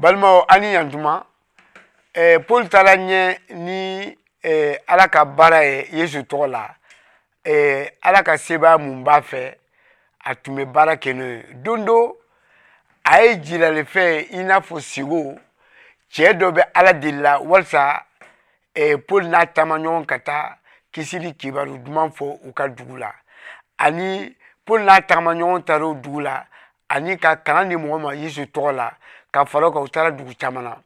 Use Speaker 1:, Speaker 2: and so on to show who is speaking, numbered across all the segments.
Speaker 1: Balimaw, an ni yantuma. Paul taara ɲɛ ni Ala ka baara ye Yesu tɔgɔ la. Ala ka sebaaya mun b'a fɛ, a tun bɛ baara kɛ n'o ye. Don dɔ, a ye jiralifɛn i n'a fɔ sigo cɛ dɔ bɛ Ala deli la walisa Paul n'a taamaɲɔgɔn ka taa kisili kibaru duman fɔ u ka dugu la. Ani Paul n'a taamaɲɔgɔn taara o dugu la ani ka kalan di mɔgɔ ma Yesu tɔgɔ la. Ka fara o kan, u taara dugu caman na.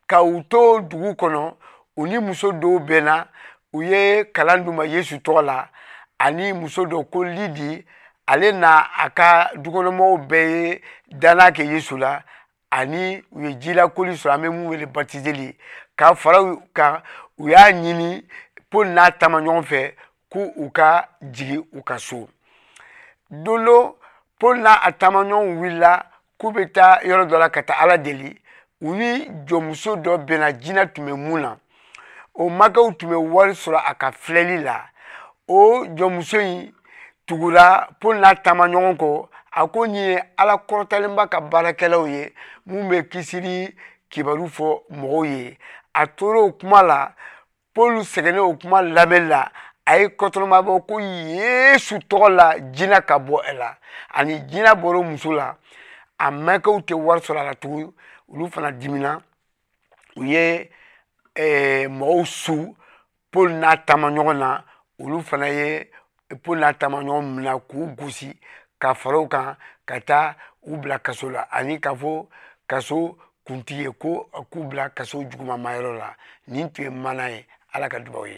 Speaker 1: Ka u to dugu kɔnɔ, u ni muso dɔw bɛnna, u ye kalan d'u ma Yesu tɔgɔ la. Ani muso dɔ ko Lidi, ale n'a a ka dukɔnɔmɔgɔw bɛɛ ye danna kɛ Yesu la, ani u ye jilakoli sɔrɔ, an bɛ mun wele batizeli. Ka fara u kan, u y'a ɲini Paul n'a taamaɲɔgɔn fɛ ko u ka jigin u ka so. Don dɔ, Paul n'a a taamaɲɔgɔnw wulila k'u bɛ taa yɔrɔ dɔ la ka taa Ala deli. U ni jɔnmuso dɔ bɛnna, jinɛ tun bɛ mun na. O makɛw tun bɛ wari sɔrɔ a ka filɛli la. O jɔnmuso in tugura Paul n'a taamaɲɔgɔn kɔ. A ko nin ye Ala kɔrɔtalenba ka baarakɛlaw ye mun bɛ kisili kibaru fɔ mɔgɔw ye. A tora o kuma la. Paul sɛgɛnnen o kuma lamɛnni la, a ye kɔtɔrɔma bɔ ko Yesu tɔgɔ la, jinɛ ka bɔ e la. Ani jinɛ bɔra o muso la, a makɛw tɛ wari sɔrɔ a la tugun. Olu fana dimina, u ye mɔgɔw su Paul n'a taamaɲɔgɔn na. Olu fana ye Paul n'a taamaɲɔgɔn minɛ k'u gosi ka fara u kan ka taa u bila kaso la, ani k'a fɔ kaso kuntigi ye ko k'u bila kaso juguman yɔrɔ la. Nin tun ye mana ye. Ala ka dubaw ye.